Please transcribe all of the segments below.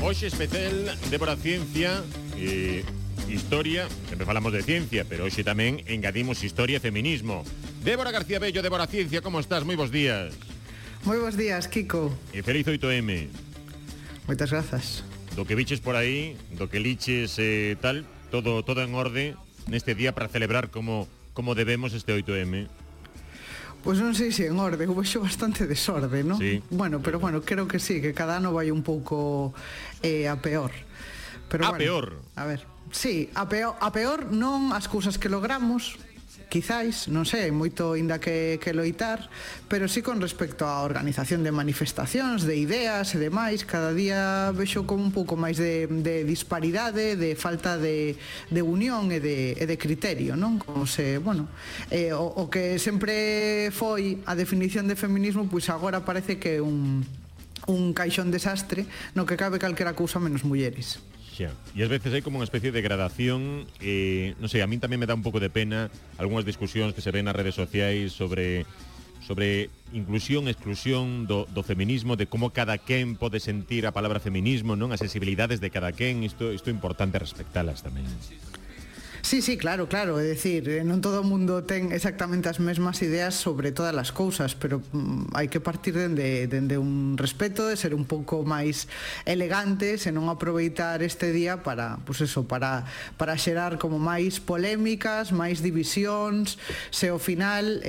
Hoxe especial Débora Ciencia Historia, sempre falamos de ciencia, pero hoxe tamén engadimos historia e feminismo. Débora García Bello, Débora Ciencia, como estás? Moi bons días. Moi bons días, Kiko. E feliz 8M. Moitas grazas. Do que viches por aí, do que liches tal, todo en orde neste día para celebrar como debemos este 8M. Pois non sei se en orde, eu vexo bastante desorde, non? Sí. Bueno, creo que sí, que cada ano vai un pouco a peor. Pero a peor? A ver, sí, a peor non as cousas que logramos, quizáis, non sei, hai moito ainda que loitar, pero sí con respecto á organización de manifestacións, de ideas e demais, cada día vexo como un pouco máis de disparidade, de falta de unión e de criterio, non? Como se, bueno, o que sempre foi a definición de feminismo, pois agora parece que é un caixón desastre no que cabe calquera cousa menos mulleres. E ás veces hai como unha especie de gradación, non sei, a min tamén me dá un pouco de pena algunhas discusións que se ven nas redes sociais sobre inclusión e exclusión do feminismo, de como cada quen pode sentir a palabra feminismo, non? As sensibilidades de cada quen, isto é importante respectalas tamén. Sí, claro, é dicir, non todo o mundo ten exactamente as mesmas ideas sobre todas as cousas, pero hai que partir dende un respeto, de ser un pouco máis elegantes e non aproveitar este día para, pues eso, para xerar como máis polémicas, máis divisións, se ao final,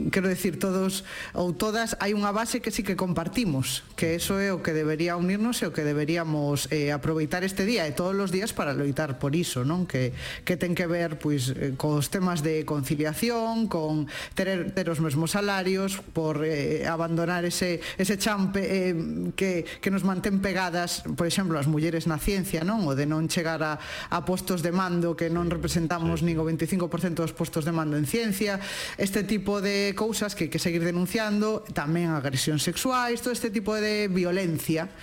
quero decir, todos ou todas, hai unha base que sí que compartimos, que eso é o que debería unirnos e o que deberíamos aproveitar este día e todos os días para loitar por iso, non? Que ten que ver pois cos temas de conciliación, con ter os mesmos salarios, por abandonar ese champe que nos mantén pegadas, por exemplo, as mulleres na ciencia, non? O de non chegar a postos de mando, que non representamos nin o 25% dos postos de mando en ciencia, este tipo de cousas que hai que seguir denunciando, tamén agresións sexuais, todo este tipo de violencia,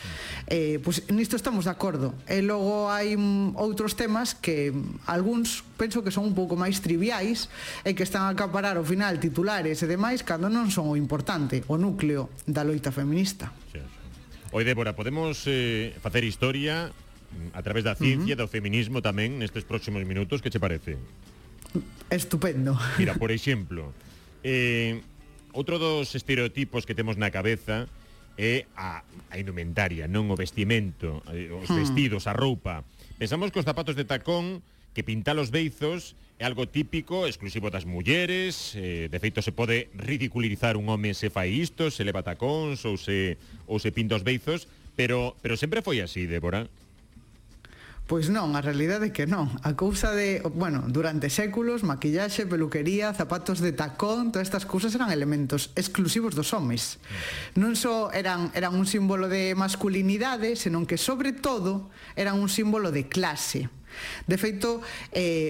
pois nisto estamos de acordo. E logo hai outros temas que algúns penso que son un pouco máis triviais e que están a acaparar ao final titulares e demais cando non son o importante, o núcleo da loita feminista. Oi, Débora, podemos facer historia a través da ciencia, do feminismo tamén nestes próximos minutos, que che parece? Estupendo. Mira, por exemplo, outro dos estereotipos que temos na cabeza é a indumentaria, non o vestimento, os vestidos, a roupa. Pensamos que os zapatos de tacón, que pintar os beizos é algo típico, exclusivo das mulleres, de feito se pode ridiculizar un home se fai isto, se leva tacóns ou se pinta os beizos, pero sempre foi así, Débora? Pois non, a realidade é que non. A cousa de, bueno, durante séculos, maquillaxe, peluquería, zapatos de tacón, todas estas cousas eran elementos exclusivos dos homes. Non só eran un símbolo de masculinidade, senón que, sobre todo, eran un símbolo de clase. De feito,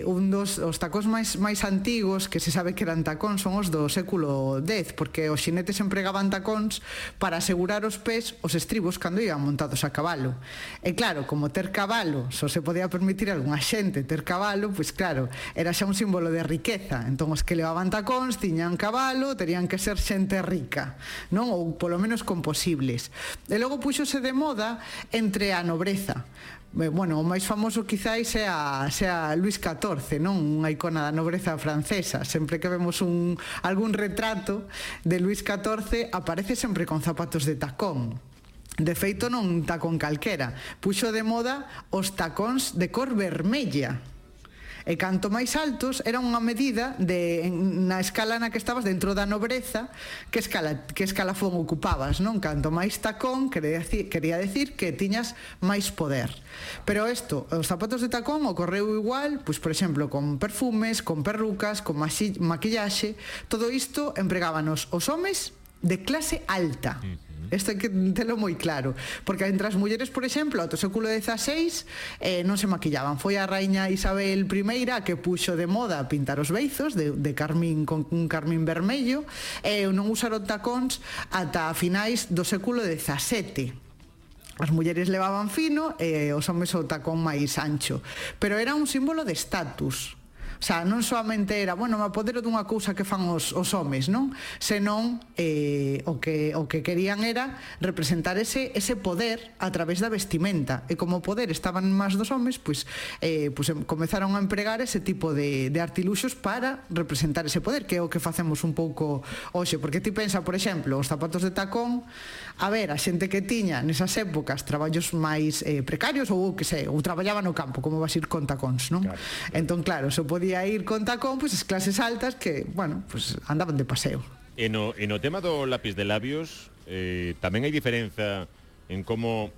un dos tacóns máis antigos que se sabe que eran tacóns son os do século X, porque os xinetes empregaban tacóns para asegurar os pés os estribos cando iban montados a cabalo. E claro, como ter cabalo só se podía permitir a algunha xente ter cabalo, pois claro, era xa un símbolo de riqueza. Entón os que levaban tacóns tiñan cabalo, terían que ser xente rica, non? Ou polo menos con posibles. E logo puxose de moda entre a nobreza. Bueno, o máis famoso quizáis sea Luís XIV, non? Unha icona da nobreza francesa. Sempre que vemos algún retrato de Luís XIV aparece sempre con zapatos de tacón. De feito, non un tacón calquera. Puxo de moda os tacóns de cor vermella. E canto máis altos era unha medida na escala na que estabas dentro da nobreza, que escalafón ocupabas, non? Canto máis tacón quería decir que tiñas máis poder. Pero os zapatos de tacón ocorreu igual, pois por exemplo, con perfumes, con perrucas, con maquillaxe. Todo isto empregábanos os homes de clase alta. Isto hai que telo moi claro, porque entre as mulleres, por exemplo, ao século XVI non se maquillaban. Foi a raíña Isabel I que puxo de moda pintar os beizos de carmín, con un carmín vermello, e non usaron tacóns ata finais do século XVII. As mulleres levaban fino e os homes o tacón máis ancho, pero era un símbolo de estatus. O sea, non solamente era, bueno, me apodero dunha cousa que fan os homes, non? Senón o que querían era representar ese poder a través da vestimenta. E como o poder estaban máis dos homes, pois comezaron a empregar ese tipo de artiluxos para representar ese poder, que é o que facemos un pouco hoxe. Porque ti pensa, por exemplo, os zapatos de tacón, a ver, a xente que tiña nesas épocas traballos máis precarios ou que sei, ou traballaba no campo, como vas ir con tacóns, non? Claro. Entón, claro, se podía ir con tacón, pois as clases altas que, bueno, pois andaban de paseo. E no tema do lápiz de labios tamén hai diferenza en como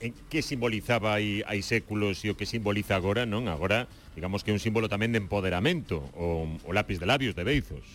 en que simbolizaba hai séculos e o que simboliza agora, non? Agora, digamos que é un símbolo tamén de empoderamento o lápiz de labios de Beizos.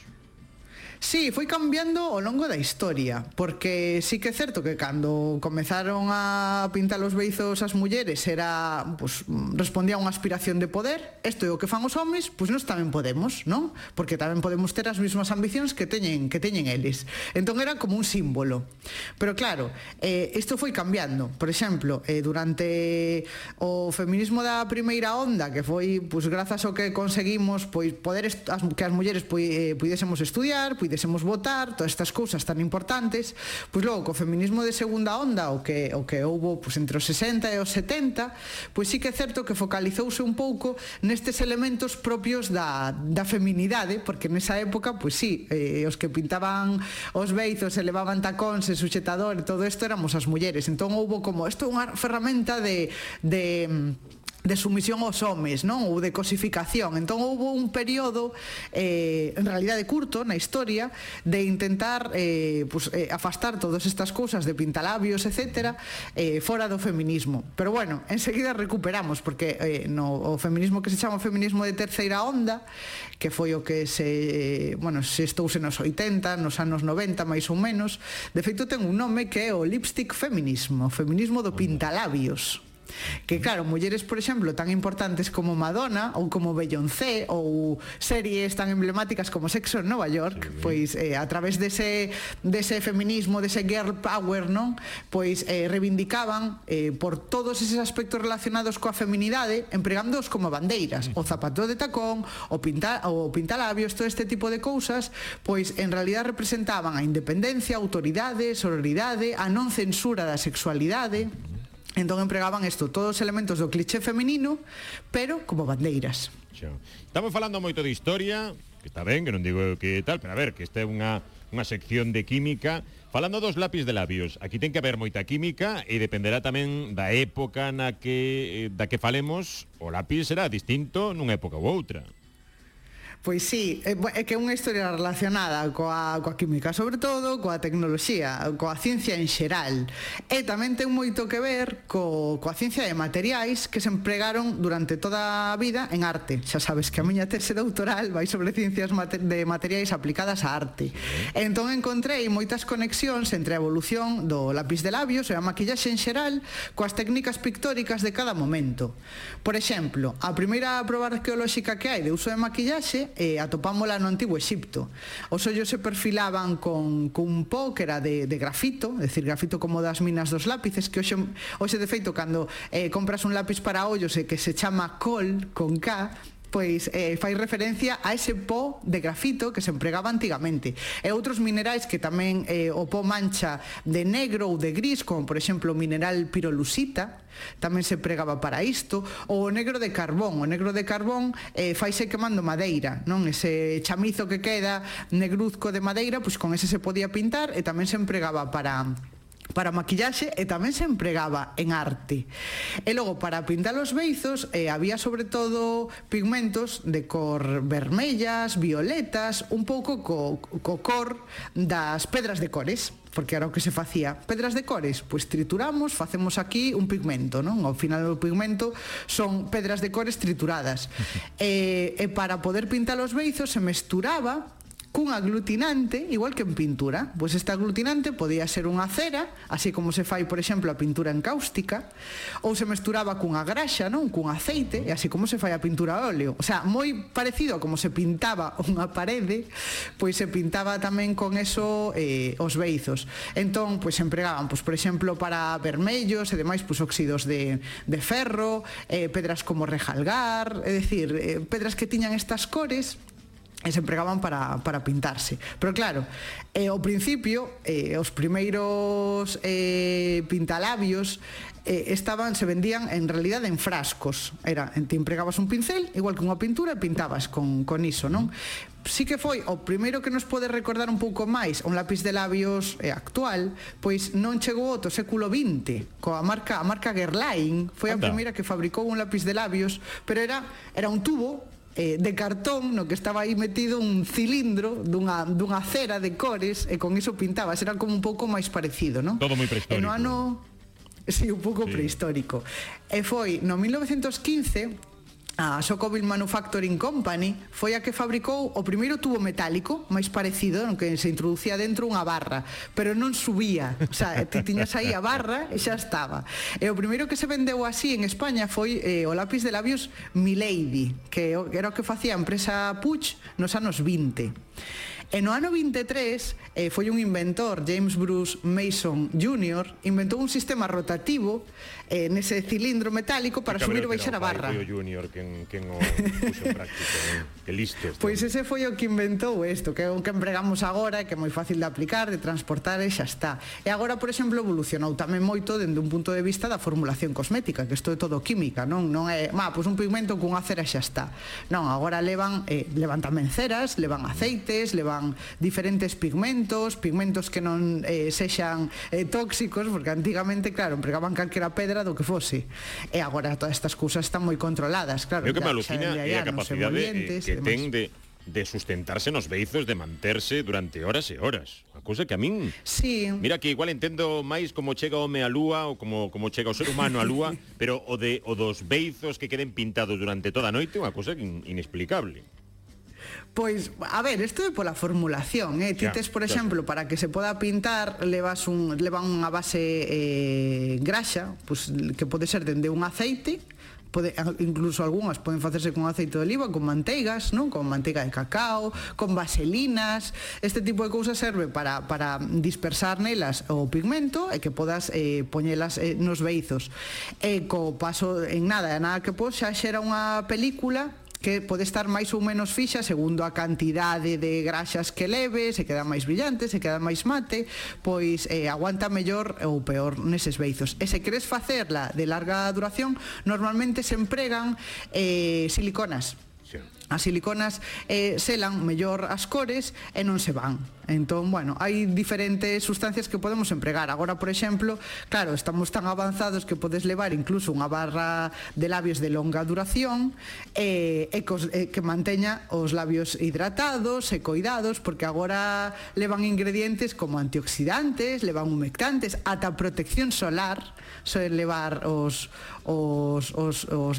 Sí, foi cambiando ao longo da historia, porque sí que é certo que cando comezaron a pintar os beizos as mulleres era, pues, respondía a unha aspiración de poder. Isto é o que fan os homes, pois nós tamén podemos, non? Porque tamén podemos ter as mesmas ambicións que teñen eles. Entón era como un símbolo. Pero claro, isto foi cambiando. Por exemplo, durante o feminismo da primeira onda, que foi, pues, grazas ao que conseguimos, pois, poder que as mulleres puidésemos estudiar, puidésemos votar, todas estas cousas tan importantes, pois logo co feminismo de segunda onda, o que houbo pois entre os 60 e os 70, pois sí que é certo que focalizouse un pouco nestes elementos propios da feminidade, porque nesa época, pois sí, os que pintaban os beizos e levaban tacóns e suxetador e todo isto éramos as mulleres. Entón houbo como, isto é unha ferramenta de sumisión aos homes, non? Ou de cosificación. Entón houve un período en realidade curto na historia de intentar afastar todas estas cousas de pintalabios, etcétera, fora do feminismo. Pero bueno, enseguida recuperamos, porque o feminismo que se chama o feminismo de terceira onda, que foi o que se estouse nos 80, nos anos 90 máis ou menos, de feito ten un nome que é o lipstick feminismo, o feminismo do pintalabios. Que claro, mulleres, por exemplo, tan importantes como Madonna ou como Beyoncé ou series tan emblemáticas como Sexo en Nova York, pois a través dese feminismo, dese girl power, non? Pois reivindicaban por todos eses aspectos relacionados coa feminidade, empregándoos como bandeiras. O zapato de tacón, o pintalabios, todo este tipo de cousas, pois en realidad representaban a independencia, a autoridade, sororidade, a non censura da sexualidade. Entón empregaban isto, todos os elementos do cliché feminino, pero como bandeiras. Estamos falando moito de historia, que está ben, que non digo que tal, pero a ver, que esta é unha sección de química. Falando dos lápiz de labios, aquí ten que haber moita química e dependerá tamén da época da que falemos, o lápiz será distinto nunha época ou outra. Pois sí, é que é unha historia relacionada coa química, sobre todo coa tecnoloxía, coa ciencia en xeral. E tamén ten moito que ver coa ciencia de materiais que se empregaron durante toda a vida en arte. Xa sabes que a miña tese doutoral vai sobre ciencias de materiais aplicadas á arte. E entón encontrei moitas conexións entre a evolución do lápiz de labios e a maquillaxe en xeral coas técnicas pictóricas de cada momento. Por exemplo, a primeira proba arqueolóxica que hai de uso de maquillaxe atopámola no Antigo Exipto. Os ollos se perfilaban con un pó que era de grafito, é dicir, grafito como das minas dos lápices, que hoxe de feito cando compras un lápiz para ollos e que se chama col, con K, pois fai referencia a ese pó de grafito que se empregaba antigamente. E outros minerais que tamén o pó mancha de negro ou de gris, como por exemplo o mineral pirolusita, tamén se empregaba para isto, ou o negro de carbón. O negro de carbón faise quemando madeira, non? Ese chamizo que queda negruzco de madeira, pois con ese se podía pintar e tamén se empregaba para maquillaxe e tamén se empregaba en arte. E logo, para pintar os beizos había sobre todo pigmentos de cor vermellas, violetas, un pouco co cor das pedras de cores, porque era o que se facía. Pedras de cores, pois trituramos, facemos aquí un pigmento, non? Ao final do pigmento son pedras de cores trituradas. E para poder pintar os beizos se mesturaba cun aglutinante, igual que en pintura. Pois este aglutinante podía ser unha cera, así como se fai, por exemplo, a pintura encáustica, ou se mesturaba cunha graxa, non? Cun aceite, e así como se fai a pintura a óleo. O sea, moi parecido a como se pintaba unha parede, pois se pintaba tamén con eso os beizos. Entón, pois empregaban, pois, por exemplo, para vermellos e demais, pois óxidos de ferro, pedras como rejalgar, é dicir, pedras que tiñan estas cores e se empregaban para pintarse. Pero claro, ao principio, os primeiros pintalabios se vendían en realidad en frascos. Te empregabas un pincel, igual que unha pintura, e pintabas con iso, non? Sí que foi o primeiro que nos pode recordar un pouco máis un lápiz de labios actual, pois non chegou ao século XX, coa marca Guerlain, foi a primeira que fabricou un lápiz de labios, pero era un tubo de cartón no que estaba aí metido un cilindro dunha cera de cores, e con iso pintabas. Era como un pouco máis parecido, non? Todo moi prehistórico. Sí, un pouco prehistórico. E foi no 1915 a Socoville Manufacturing Company foi a que fabricou o primeiro tubo metálico máis parecido, no que se introducía dentro unha barra, pero non subía, o sea, ti tiñas aí a barra e xa estaba. E o primeiro que se vendeu así en España foi o lápiz de labios Milady, que era o que facía a empresa Puig nos anos 20. E no ano 23 foi un inventor, James Bruce Mason Jr., inventou un sistema rotativo nese cilindro metálico para subir e baixar a barra. Foi o Junior quen o puxo en práctica, que listo. Pois ese foi o que inventou isto, que é o que empregamos agora, que é moi fácil de aplicar, de transportar e xa está. E agora, por exemplo, evolucionou tamén moito dende un punto de vista da formulación cosmética, que isto é todo química, non é, pois un pigmento cunha cera xa está. Non, agora levan tamén ceras, levan aceites, levan diferentes pigmentos que non sexan tóxicos, porque antigamente, claro, empregaban calquera pedra do que fose. E agora todas estas cousas están moi controladas, claro. O que me alucina é a capacidade que ten de sustentarse nos beizos, de manterse durante horas e horas. Unha cousa que a min... Sí. Mira que igual entendo máis como chega o home á lúa ou como chega o ser humano á lúa, pero o dos beizos que queden pintados durante toda a noite é unha cousa inexplicable. Pois, a ver, isto é pola formulación, Tites, por exemplo, para que se poda pintar, levan unha base graxa, pois, que pode ser dende un aceite, incluso algunhas poden facerse con aceite de oliva, con manteigas, non? Con manteiga de cacao, con vaselinas. Este tipo de cousas serve para dispersar nelas o pigmento e que podas poñelas nos beizos. E co paso en nada que pos xa xera unha película que pode estar máis ou menos fixa segundo a cantidade de graxas que leve, se queda máis brillante, se queda máis mate, pois aguanta mellor ou peor neses beizos. E se queres facerla de larga duración, normalmente se empregan siliconas. As siliconas selan mellor as cores e non se van. Entón, bueno, hai diferentes sustancias que podemos empregar. Agora, por exemplo, claro, estamos tan avanzados que podes levar incluso unha barra de labios de longa duración que manteña os labios hidratados e coidados, porque agora levan ingredientes como antioxidantes, levan humectantes, ata protección solar, soen levar os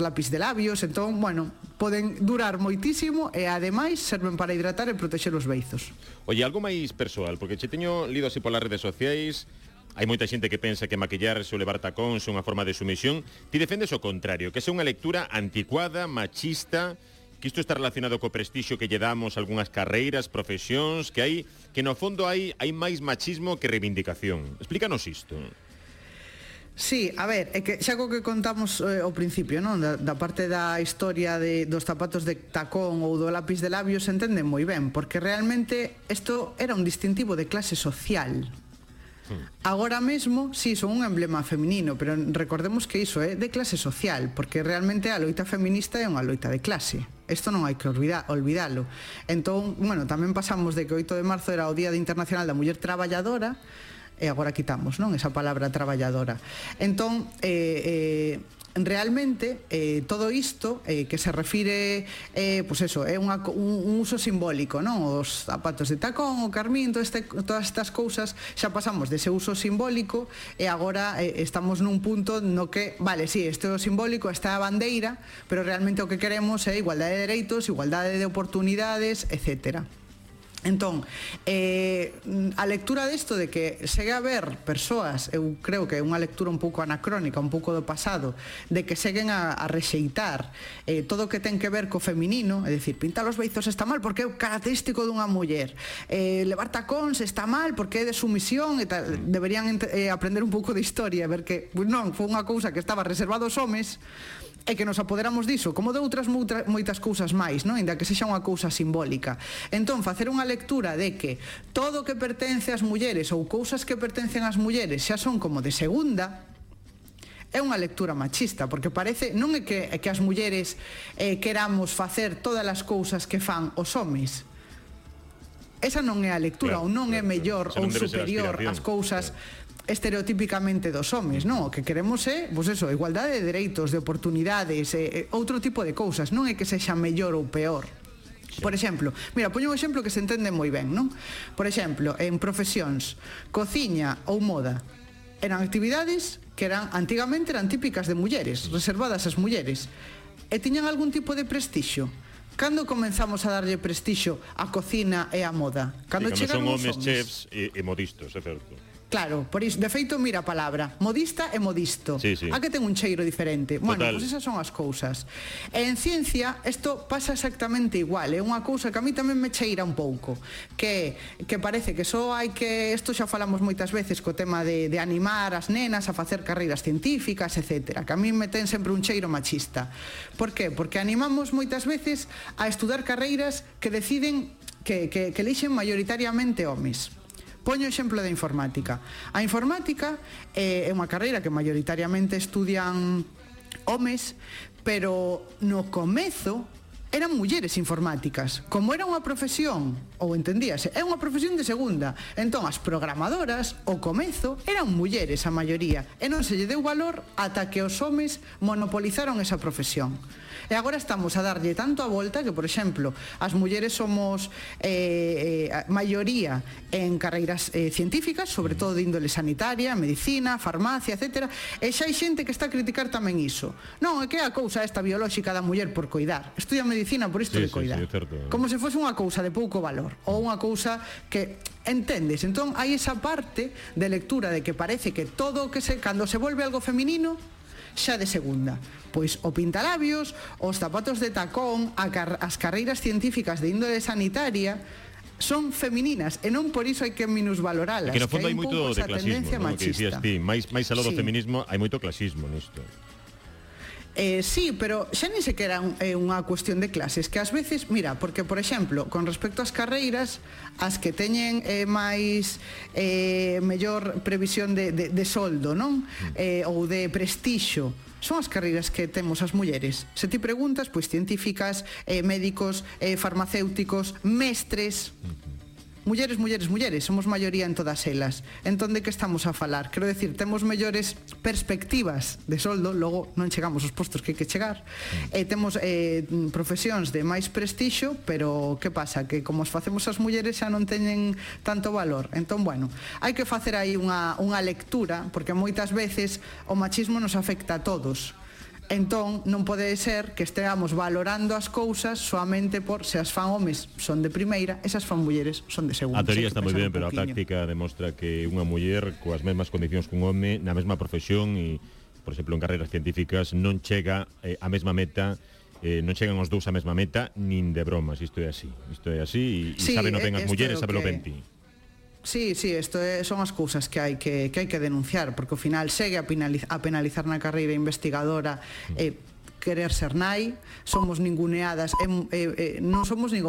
lápiz de labios. Entón, bueno, poden durar moitísimo e ademais serven para hidratar e protexer os beizos. Oye, algo máis persoal, porque che teño lido así polas redes sociais, hai moita xente que pensa que maquillarse ou levar tacóns é unha forma de sumisión. Ti defendes o contrario, que é unha lectura anticuada, machista, que isto está relacionado co prestixio que lle damos a algunhas carreiras, profesións, que no fondo hai máis machismo que reivindicación. Explícanos isto. Sí, a ver, é que xa co que contamos ao principio, non? Da parte da historia dos zapatos de tacón ou do lápiz de labios se entende moi ben, porque realmente isto era un distintivo de clase social. Agora mesmo, sí, son un emblema feminino, pero recordemos que iso é de clase social, porque realmente a loita feminista é unha loita de clase. Isto non hai que olvidalo. Entón, bueno, tamén pasamos de que o 8 de marzo era o Día Internacional da Muller Traballadora, e agora quitamos, non? Esa palabra traballadora. Entón, realmente, todo isto que se refire, pois eso, é un uso simbólico, non? Os zapatos de tacón, o carmín, todas estas cousas, xa pasamos dese uso simbólico e agora estamos nun punto no que, vale, sí, este é o simbólico, esta é a bandeira, pero realmente o que queremos é igualdade de dereitos, igualdade de oportunidades, etcétera. Entón, a lectura desto de que segue a haber persoas, eu creo que é unha lectura un pouco anacrónica, un pouco do pasado, de que seguen a rexeitar todo o que ten que ver co feminino, é dicir, pintar os beizos está mal porque é o característico dunha muller, levar tacóns está mal porque é de sumisión e tal. Deberían aprender un pouco de historia, ver que non, foi unha cousa que estaba reservada aos homes e que nos apoderamos diso, como de outras moitas cousas máis, non? Ainda que sexa unha cousa simbólica. Entón, facer unha lectura de que todo o que pertence ás mulleres ou cousas que pertencen ás mulleres xa son como de segunda, é unha lectura machista, porque parece, non é que as mulleres queramos facer todas as cousas que fan os homes. Esa non é a lectura, ou non é mellor ou superior ás cousas estereotípicamente dos homes, non? O que queremos é, pois eso, igualdade de dereitos, de oportunidades, outro tipo de cousas, non é que sexa mellor ou peor. Por exemplo, mira, poño un exemplo que se entende moi ben, non? Por exemplo, en profesións, cociña ou moda, eran actividades que antigamente eran típicas de mulleres, reservadas ás mulleres, e tiñan algún tipo de prestixio. Cando comenzamos a darlle prestixio á cocina e á moda? Cando chegan os homes chefs e modistas, é certo. Claro, por iso, de feito, mira a palabra, modista e modisto. Sí, sí. A que ten un cheiro diferente. Bueno, Total. pois esas son as cousas. E en ciencia, isto pasa exactamente igual. É unha cousa que a mí tamén me cheira un pouco. Que parece que só hai que... Isto xa falamos moitas veces co tema de animar as nenas a facer carreiras científicas, etc. Que a mí me ten sempre un cheiro machista. Por qué? Porque animamos moitas veces a estudar carreiras que deciden que elixen maioritariamente homes. Poño o exemplo da informática. A informática é unha carreira que maioritariamente estudian homes, pero no comezo eran mulleres informáticas. Como era unha profesión, ou entendíase, é unha profesión de segunda. Entón, as programadoras, ao comezo, eran mulleres a maioría, e non se lle deu valor ata que os homes monopolizaron esa profesión. E agora estamos a darlle tanto a volta que, por exemplo, as mulleres somos maioría en carreiras científicas, sobre todo de índole sanitaria, medicina, farmacia, etc. E xa hai xente que está a criticar tamén iso. Non, é que é a cousa esta biolóxica da muller por coidar. Estudia medicina por isto de coidar. Como se fose unha cousa de pouco valor, ou unha cousa que entendes. Entón, hai esa parte de lectura de que parece que todo o que cando se volve algo feminino xa de segunda. Pois o pintalabios, os zapatos de tacón, as carreiras científicas de índole sanitaria son femininas e non por iso hai que minusvaloralas. Que no fondo hai moito de clasismo, ¿no? Que dicías ti, máis aló do feminismo hai moito clasismo nisto. Sí, pero xa nin sequera é unha cuestión de clases, que ás veces, mira, porque, por exemplo, con respecto ás carreiras, as que teñen máis mellor previsión de soldo, non? Ou de prestixio, son as carreiras que temos as mulleres. Se ti preguntas, pois científicas, médicos, farmacéuticos, mestres... Mulleres, somos maioría en todas elas. Entón, de que estamos a falar? Quero decir, temos mellores perspectivas de soldo, logo non chegamos aos postos que hai que chegar, temos profesións de máis prestixio, pero que pasa? Que como os facemos as mulleres xa non teñen tanto valor. Entón, bueno, hai que facer aí unha lectura, porque moitas veces o machismo nos afecta a todos. Entón, non pode ser que esteamos valorando as cousas soamente por se as fan homes son de primeira, esas fan mulleres son de segunda. A teoría está moi ben, pero a práctica demostra que unha muller coas mesmas condicións que un home na mesma profesión e, por exemplo, en carreiras científicas non chega a mesma meta, non chegan os dous a mesma meta nin de bromas. Isto é así e saben o ben as mulleres, saben o ben ti. Sí, isto son as cousas que hai que denunciar, porque ao final segue a penalizar na carreira investigadora querer ser nai, somos ninguneadas, non somos nin